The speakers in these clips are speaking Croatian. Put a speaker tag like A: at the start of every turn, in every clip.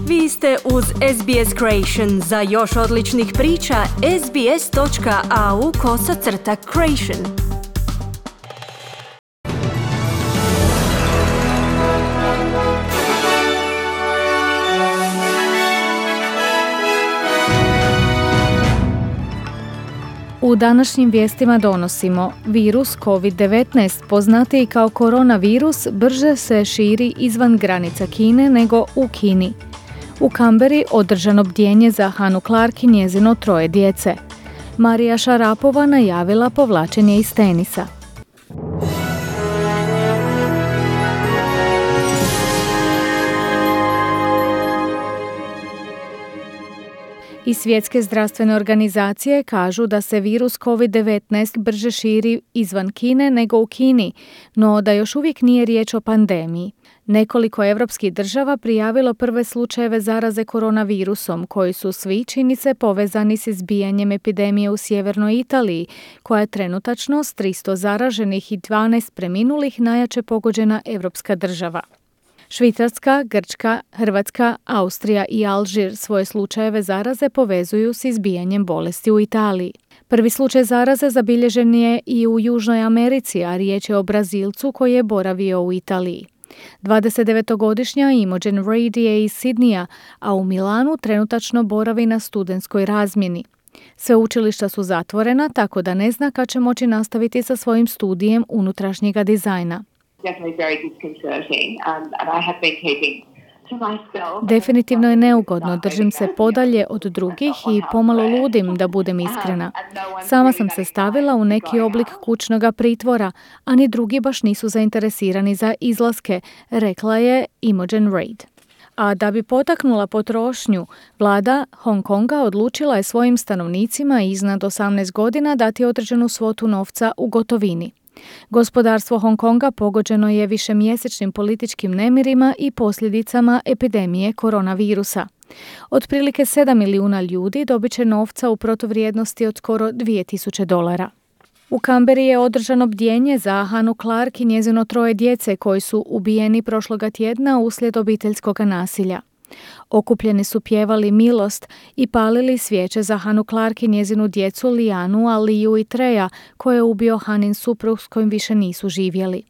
A: Vi ste uz SBS Creation. Za još odličnih priča, sbs.au/creation.
B: U današnjim vijestima donosimo: virus COVID-19, poznatiji kao koronavirus, brže se širi izvan granica Kine nego u Kini. U Kamberi održano bdjenje za Hanu Clark i njezino 3 djece. Marija Šarapova najavila povlačenje iz tenisa. I Svjetske zdravstvene organizacije kažu da se virus COVID-19 brže širi izvan Kine nego u Kini, no da još uvijek nije riječ o pandemiji. Nekoliko evropskih država prijavilo prve slučajeve zaraze koronavirusom, koji su svi, čini se, povezani s izbijanjem epidemije u sjevernoj Italiji, koja je trenutačno s 300 zaraženih i 12 preminulih najjače pogođena evropska država. Švicarska, Grčka, Hrvatska, Austrija i Alžir svoje slučajeve zaraze povezuju s izbijanjem bolesti u Italiji. Prvi slučaj zaraze zabilježen je i u Južnoj Americi, a riječ je o Brazilcu koji je boravio u Italiji. 29-godišnja Imogen Reid je iz Sidneya, a u Milanu trenutačno boravi na studentskoj razmjeni. Sveučilišta su zatvorena, tako da ne zna kad će moći nastaviti sa svojim studijem unutrašnjega dizajna. Definitivno je neugodno, držim se podalje od drugih i pomalo ludim, da budem iskrena. Sama sam se stavila u neki oblik kućnoga pritvora, a ni drugi baš nisu zainteresirani za izlaske, rekla je Imogen Reid. A da bi potaknula potrošnju, vlada Hong Konga odlučila je svojim stanovnicima iznad 18 godina dati određenu svotu novca u gotovini. Gospodarstvo Hong Konga pogođeno je višemjesečnim političkim nemirima i posljedicama epidemije koronavirusa. Otprilike 7 milijuna ljudi dobit će novca u protuvrijednosti od skoro $2,000. U Kamberi je održano bdjenje za Hanu Clark i njezino 3 djece koji su ubijeni prošloga tjedna uslijed obiteljskog nasilja. Okupljeni su pjevali milost i palili svijeće za Hanu Clark i njezinu djecu Lianu, Aliju i Treja, koje je ubio Hanin suprug s kojim više nisu živjeli.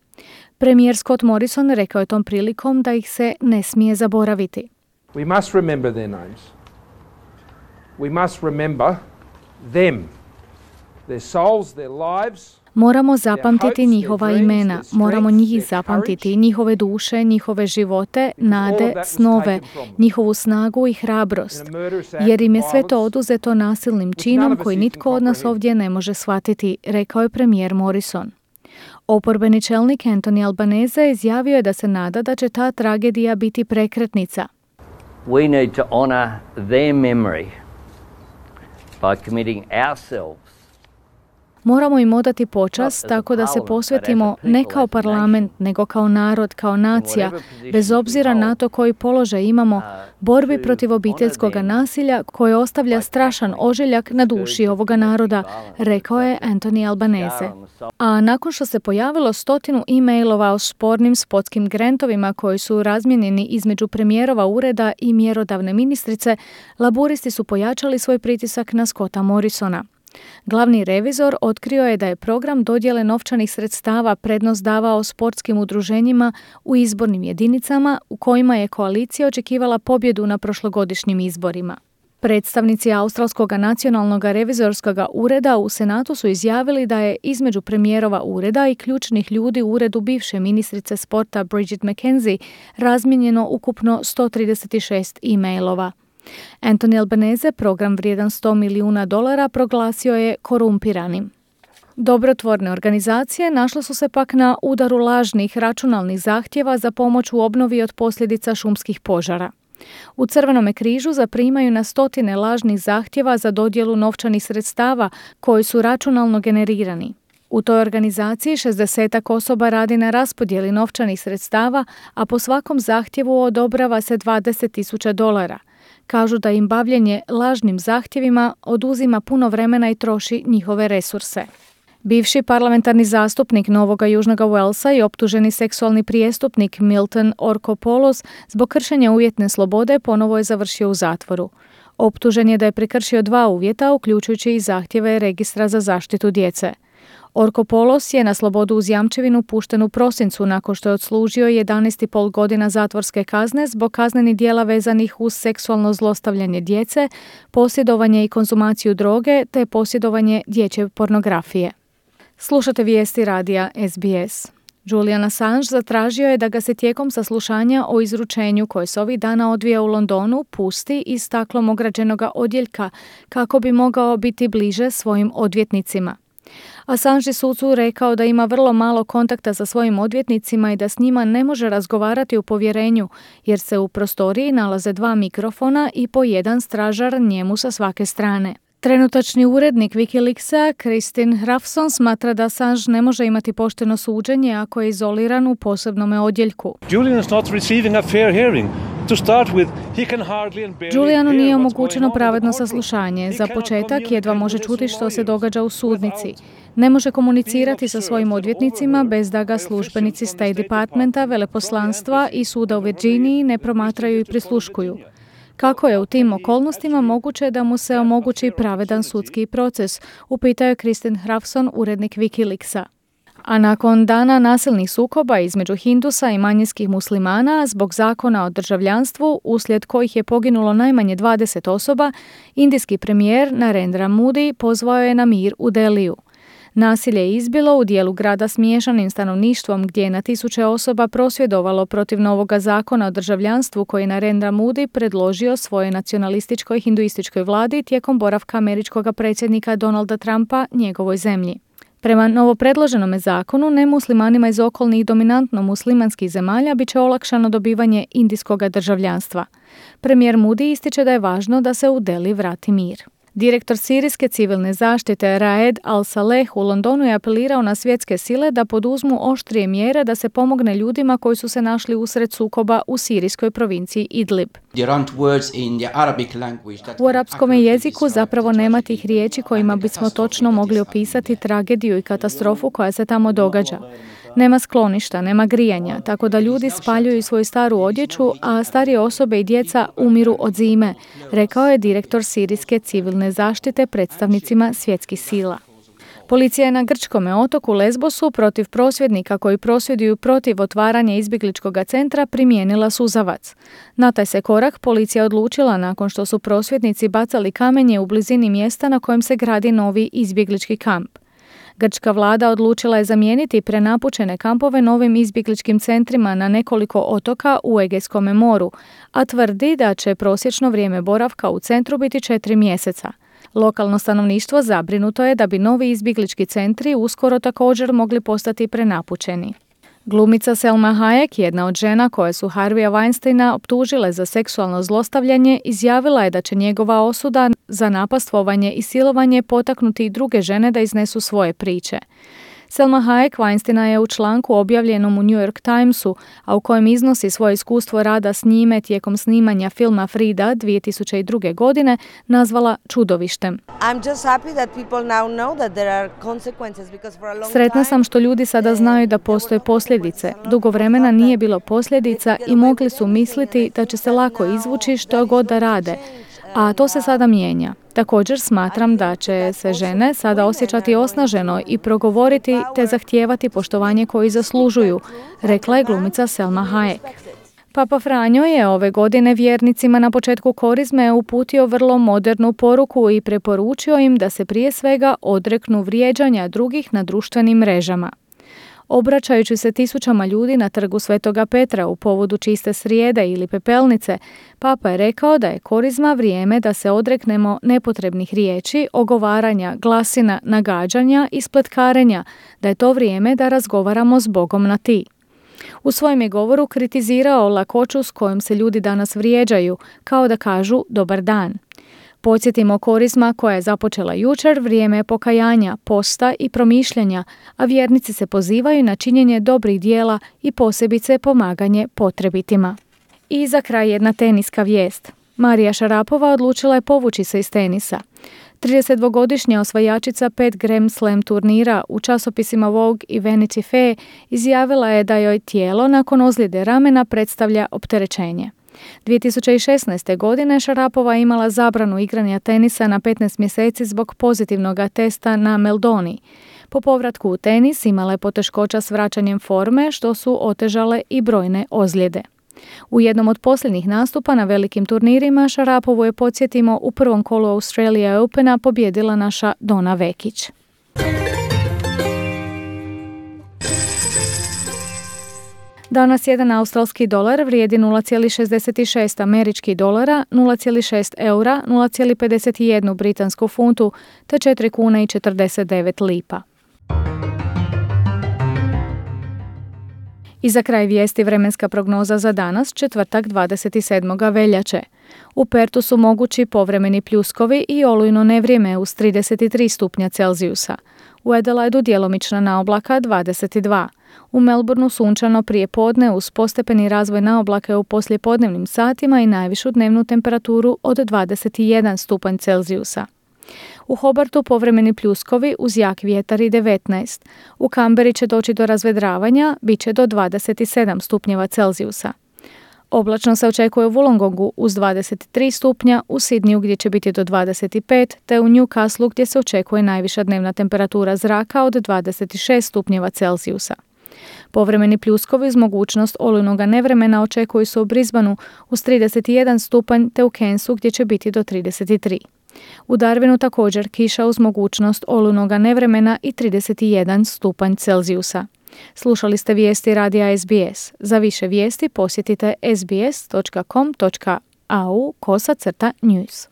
B: Premijer Scott Morrison rekao je tom prilikom da ih se ne smije zaboraviti.
C: We must remember their names. We must remember them. Their souls, their lives.
B: Moramo zapamtiti njihova imena, moramo njih zapamtiti, njihove duše, njihove živote, nade, snove, njihovu snagu i hrabrost, jer im je sve to oduzeto nasilnim činom koji nitko od nas ovdje ne može shvatiti, rekao je premijer Morrison. Oporbeni čelnik Anthony Albanese izjavio je da se nada da će ta tragedija biti prekretnica.
D: We need to honor their memory by committing ourselves.
B: Moramo im odati počast tako da se posvetimo ne kao parlament, nego kao narod, kao nacija, bez obzira na to koji položaj imamo, borbi protiv obiteljskog nasilja koje ostavlja strašan ožiljak na duši ovoga naroda, rekao je Anthony Albanese. A nakon što se pojavilo 100 e-mailova o spornim sportskim grantovima koji su razmijenjeni između premijerova ureda i mjerodavne ministrice, laburisti su pojačali svoj pritisak na Scotta Morrisona. Glavni revizor otkrio je da je program dodjele novčanih sredstava prednost davao sportskim udruženjima u izbornim jedinicama u kojima je koalicija očekivala pobjedu na prošlogodišnjim izborima. Predstavnici Australskog nacionalnog revizorskog ureda u Senatu su izjavili da je između premijerova ureda i ključnih ljudi u uredu bivše ministrice sporta Bridget McKenzie razmijenjeno ukupno 136 e-mailova. Anthony Albanese program vrijedan $100 milijuna proglasio je korumpiranim. Dobrotvorne organizacije našle su se pak na udaru lažnih računalnih zahtjeva za pomoć u obnovi od posljedica šumskih požara. U Crvenome križu zaprimaju na 100 lažnih zahtjeva za dodjelu novčanih sredstava koji su računalno generirani. U toj organizaciji 60 osoba radi na raspodjeli novčanih sredstava, a po svakom zahtjevu odobrava se $20,000. Kažu da im bavljenje lažnim zahtjevima oduzima puno vremena i troši njihove resurse. Bivši parlamentarni zastupnik Novoga Južnoga Walesa i optuženi seksualni prijestupnik Milton Orkopoulos zbog kršenja uvjetne slobode ponovo je završio u zatvoru. Optužen je da je prekršio 2 uvjeta, uključujući i zahtjeve registra za zaštitu djece. Orkopoulos je na slobodu uz jamčevinu pušten u prosincu nakon što je odslužio 11,5 godina zatvorske kazne zbog kaznenih djela vezanih uz seksualno zlostavljanje djece, posjedovanje i konzumaciju droge te posjedovanje dječje pornografije. Slušate vijesti radija SBS. Julian Assange zatražio je da ga se tijekom saslušanja o izručenju koje se ovih dana odvija u Londonu pusti iz staklom ograđenoga odjeljka kako bi mogao biti bliže svojim odvjetnicima. Assange je sucu rekao da ima vrlo malo kontakta sa svojim odvjetnicima i da s njima ne može razgovarati u povjerenju jer se u prostoriji nalaze 2 mikrofona i po 1 stražar njemu sa svake strane. Trenutačni urednik Wikileaksa, Kristin Hrafson, smatra da Assange ne može imati pošteno suđenje ako je izoliran u posebnome odjeljku. Julianu nije omogućeno pravedno saslušanje. Za početak jedva može čuti što se događa u sudnici. Ne može komunicirati sa svojim odvjetnicima bez da ga službenici State Departmenta, veleposlanstva i suda u Virginiji ne promatraju i prisluškuju. Kako je u tim okolnostima moguće da mu se omogući pravedan sudski proces, upitao je Kristin Hrafson, urednik Wikileaksa. A nakon dana nasilnih sukoba između Hindusa i manjinskih muslimana zbog zakona o državljanstvu, uslijed kojih je poginulo najmanje 20 osoba, indijski premijer Narendra Modi pozvao je na mir u Deliju. Nasilje je izbilo u dijelu grada s miješanim stanovništvom gdje je na tisuće osoba prosvjedovalo protiv novoga zakona o državljanstvu koji je Narendra Modi predložio svojoj nacionalističkoj hinduističkoj vladi tijekom boravka američkog predsjednika Donalda Trumpa njegovoj zemlji. Prema novopredloženome zakonu, nemuslimanima iz okolnih dominantno muslimanskih zemalja bit će olakšano dobivanje indijskog državljanstva. Premijer Modi ističe da je važno da se u Deli vrati mir. Direktor sirijske civilne zaštite Raed Al-Saleh u Londonu je apelirao na svjetske sile da poduzmu oštrije mjere da se pomogne ljudima koji su se našli usred sukoba u sirijskoj provinciji Idlib. U arapskom jeziku zapravo nema tih riječi kojima bismo točno mogli opisati tragediju i katastrofu koja se tamo događa. Nema skloništa, nema grijanja, tako da ljudi spaljuju svoju staru odjeću, a starije osobe i djeca umiru od zime, rekao je direktor sirijske civilne zaštite predstavnicima svjetskih sila. Policija je na grčkome otoku Lesbosu protiv prosvjednika koji prosvjeduju protiv otvaranja izbjegličkog centra primijenila suzavac. Na taj se korak policija odlučila nakon što su prosvjednici bacali kamenje u blizini mjesta na kojem se gradi novi izbjeglički kamp. Grčka vlada odlučila je zamijeniti prenapučene kampove novim izbjegličkim centrima na nekoliko otoka u Egejskom moru, a tvrdi da će prosječno vrijeme boravka u centru biti 4 mjeseca. Lokalno stanovništvo zabrinuto je da bi novi izbjeglički centri uskoro također mogli postati prenapučeni. Glumica Selma Hayek, jedna od žena koje su Harveya Weinsteina optužile za seksualno zlostavljanje, izjavila je da će njegova osuda za napastvovanje i silovanje potaknuti i druge žene da iznesu svoje priče. Selma Hayek Weinsteina je u članku objavljenom u New York Timesu, a u kojem iznosi svoje iskustvo rada s njime tijekom snimanja filma Frida 2002. godine, nazvala čudovištem. Sretna sam što ljudi sada znaju da postoje posljedice. Dugo vremena nije bilo posljedica i mogli su misliti da će se lako izvući što god da rade. A to se sada mijenja. Također smatram da će se žene sada osjećati osnaženo i progovoriti te zahtijevati poštovanje koji zaslužuju, rekla je glumica Selma Hayek. Papa Franjo je ove godine vjernicima na početku korizme uputio vrlo modernu poruku i preporučio im da se prije svega odreknu vrijeđanja drugih na društvenim mrežama. Obraćajući se tisućama ljudi na trgu Svetoga Petra u povodu čiste srijede ili pepelnice, Papa je rekao da je korizma vrijeme da se odreknemo nepotrebnih riječi, ogovaranja, glasina, nagađanja i spletkarenja, da je to vrijeme da razgovaramo s Bogom na ti. U svojem je govoru kritizirao lakoću s kojom se ljudi danas vrijeđaju, kao da kažu dobar dan. Podsjetimo, korizma koja je započela jučer, vrijeme je pokajanja, posta i promišljanja, a vjernici se pozivaju na činjenje dobrih dijela i posebice pomaganje potrebitima. I za kraj jedna teniska vijest. Marija Šarapova odlučila je povući se iz tenisa. 32-godišnja osvajačica 5 Grand Slam turnira u časopisima Vogue i Vanity Fair izjavila je da joj tijelo nakon ozljede ramena predstavlja opterećenje. 2016. godine Šarapova imala zabranu igranja tenisa na 15 mjeseci zbog pozitivnog testa na meldoni. Po povratku u tenis imala je poteškoća s vraćanjem forme, što su otežale i brojne ozljede. U jednom od posljednjih nastupa na velikim turnirima Šarapovu je, podsjetimo, u prvom kolu Australia Opena pobjedila naša Dona Vekić. Danas jedan australski dolar vrijedi 0,66 američkih dolara, 0,6 eura, 0,51 britansku funtu te 4 kune i 49 lipa. I za kraj vijesti vremenska prognoza za danas, četvrtak 27. veljače. U Pertu su mogući povremeni pljuskovi i olujno nevrijeme uz 33 stupnja Celzijusa. U Adelaidu djelomična naoblaka 22. U Melbourneu sunčano prije podne uz postepeni razvoj naoblaka u poslijepodnevnim satima i najvišu dnevnu temperaturu od 21 stupanj Celzijusa. U Hobartu povremeni pljuskovi uz jak vjetar i 19. U Kamberi će doći do razvedravanja, bit će do 27 stupnjeva Celzijusa. Oblačno se očekuje u Wollongongu uz 23 stupnja, u Sidniju gdje će biti do 25, te u Newcastlu gdje se očekuje najviša dnevna temperatura zraka od 26 stupnjeva Celzijusa. Povremeni pljuskovi uz mogućnost olujnog nevremena očekuju se u Brisbaneu uz 31 stupanj te u Cairnsu gdje će biti do 33. U Darwinu također kiša uz mogućnost olujnog nevremena i 31 stupanj Celzijusa. Slušali ste vijesti radija SBS. Za više vijesti posjetite sbs.com.au/news.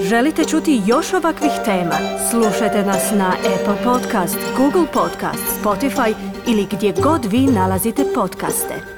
A: Želite čuti još ovakvih tema? Slušajte nas na Apple Podcast, Google Podcast, Spotify ili gdje god vi nalazite podcaste.